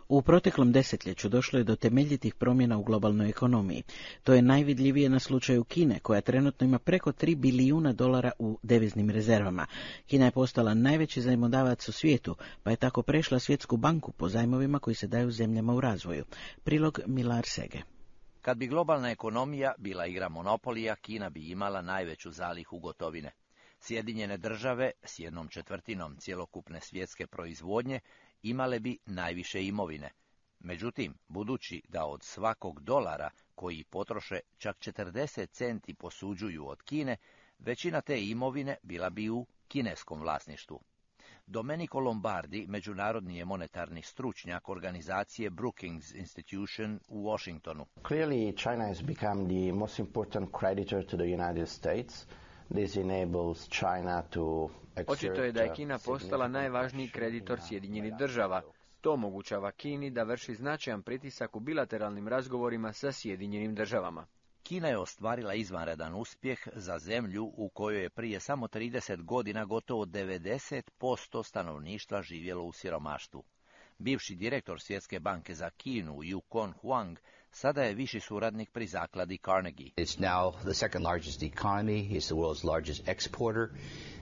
U proteklom desetljeću došlo je do temeljitih promjena u globalnoj ekonomiji. To je najvidljivije na slučaju Kine, koja trenutno ima preko $3 bilijuna u deviznim rezervama. Kina je postala najveći zajmodavac u svijetu, pa je tako prešla Svjetsku banku po zajmovima koji se daju zemljama u razvoju. Prilog Milar Sege. Kad bi globalna ekonomija bila igra monopolija, Kina bi imala najveću zalihu gotovine. Sjedinjene države s 1/4 cjelokupne svjetske proizvodnje imale bi najviše imovine. Međutim, budući da od svakog dolara koji potroše čak 40 centi posuđuju od Kine, većina te imovine bila bi u kineskom vlasništvu. Domenico Lombardi, međunarodni je monetarni stručnjak organizacije Brookings Institution u Washingtonu. Clearly, China has become the most important creditor to the United States. This enables China to exert. Očito je da je Kina postala najvažniji kreditor Sjedinjenih država. To omogućava Kini da vrši značajan pritisak u bilateralnim razgovorima sa Sjedinjenim državama. Kina je ostvarila izvanredan uspjeh za zemlju u kojoj je prije samo 30 godina gotovo 90% stanovništva živjelo u siromaštvu. Bivši direktor Svjetske banke za Kinu, Yukon Huang, sada je viši suradnik pri zakladi Carnegie. It's now the second largest economy, it's the world's largest exporter,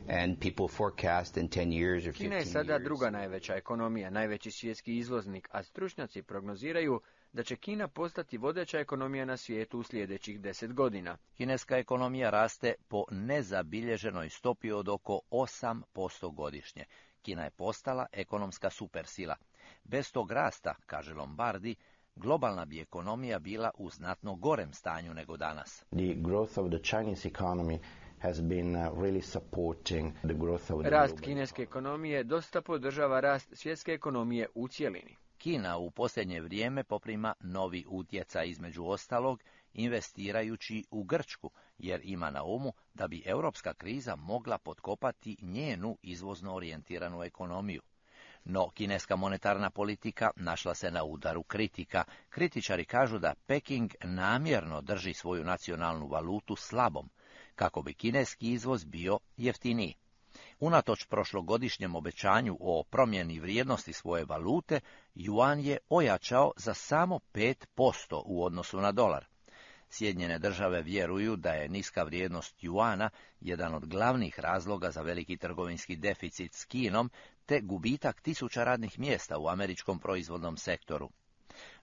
and people forecast in 10 years or 15 years. Kina je sada druga najveća ekonomija, najveći svjetski izvoznik, a stručnjaci prognoziraju da će Kina postati vodeća ekonomija na svijetu u sljedećih 10 godina. Kineska ekonomija raste po nezabilježenoj stopi od oko 8% godišnje. Kina je postala ekonomska supersila. Bez tog rasta, kaže Lombardi, globalna bi ekonomija bila u znatno gorem stanju nego danas. The growth of the Chinese economy has been really supporting the growth of the Rast kineske ekonomije dosta podržava rast svjetske ekonomije u cjelini. Kina u posljednje vrijeme poprima novi utjecaj, između ostalog investirajući u Grčku, jer ima na umu da bi europska kriza mogla potkopati njenu izvozno orijentiranu ekonomiju. No, kineska monetarna politika našla se na udaru kritika. Kritičari kažu da Peking namjerno drži svoju nacionalnu valutu slabom, kako bi kineski izvoz bio jeftiniji. Unatoč prošlogodišnjem obećanju o promjeni vrijednosti svoje valute, juan je ojačao za samo 5% u odnosu na dolar. Sjedinjene države vjeruju da je niska vrijednost juana jedan od glavnih razloga za veliki trgovinski deficit s Kinom, te gubitak tisuća radnih mjesta u američkom proizvodnom sektoru.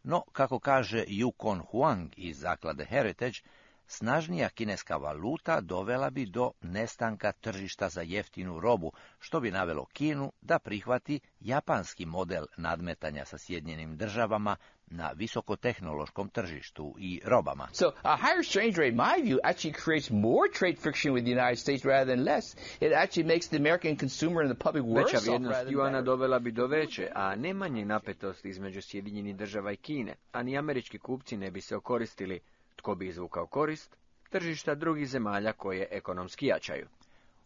No, kako kaže Yukon Huang iz zaklade Heritage, snažnija kineska valuta dovela bi do nestanka tržišta za jeftinu robu, što bi navelo Kinu da prihvati japanski model nadmetanja sa Sjedinjenim državama na visokotehnološkom tržištu i robama. So a higher exchange rate, in my view, actually creates more trade friction with the United States rather than less. It actually makes the American consumer and the public worse off. Veća vrijednost juana dovela bi do veće, a ne manje napetosti između Sjedinjenih država i Kine, a ni američki kupci ne bi se okoristili. Tko bi izvukao korist? Tržišta drugih zemalja koje ekonomski jačaju.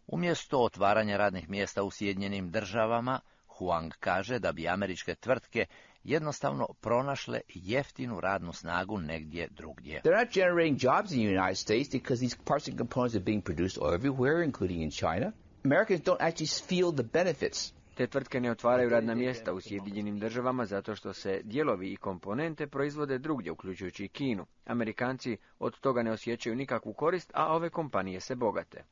Umjesto otvaranja radnih mjesta u Sjedinjenim državama, Huang kaže da bi američke tvrtke jednostavno pronašle jeftinu radnu snagu negdje drugdje. They're not generating jobs in the United States because these parts and components are being produced everywhere, including in China. Americans don't actually feel the benefits. Te tvrtke ne otvaraju radna mjesta u Sjedinjenim državama zato što se dijelovi i komponente proizvode drugdje, uključujući i Kinu. Amerikanci od toga ne osjećaju nikakvu korist, a ove kompanije se bogate.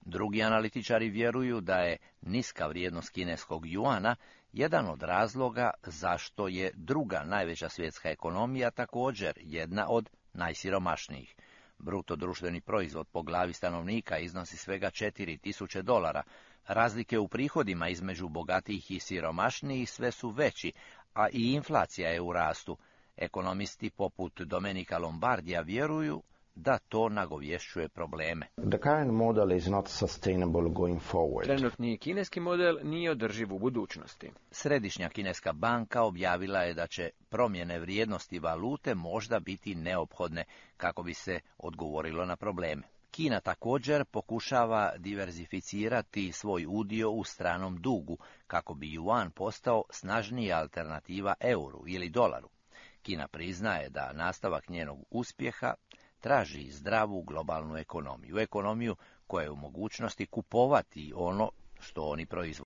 Drugi analitičari vjeruju da je niska vrijednost kineskog juana jedan od razloga zašto je druga najveća svjetska ekonomija također jedna od najsiromašnijih. Bruto društveni proizvod po glavi stanovnika iznosi svega $4.000. Razlike u prihodima između bogatijih i siromašnijih sve su veći, a i inflacija je u rastu. Ekonomisti poput Domenica Lombardija vjeruju da to nagovješćuje probleme. The current model is not sustainable going forward. Trenutni kineski model nije održiv u budućnosti. Središnja kineska banka objavila je da će promjene vrijednosti valute možda biti neophodne kako bi se odgovorilo na probleme. Kina također pokušava diverzificirati svoj udio u stranom dugu kako bi juan postao snažnija alternativa euru ili dolaru. Kina priznaje da nastavak njenog uspjeha traži zdravu globalnu ekonomiju, ekonomiju koja je u mogućnosti kupovati ono što oni proizvode.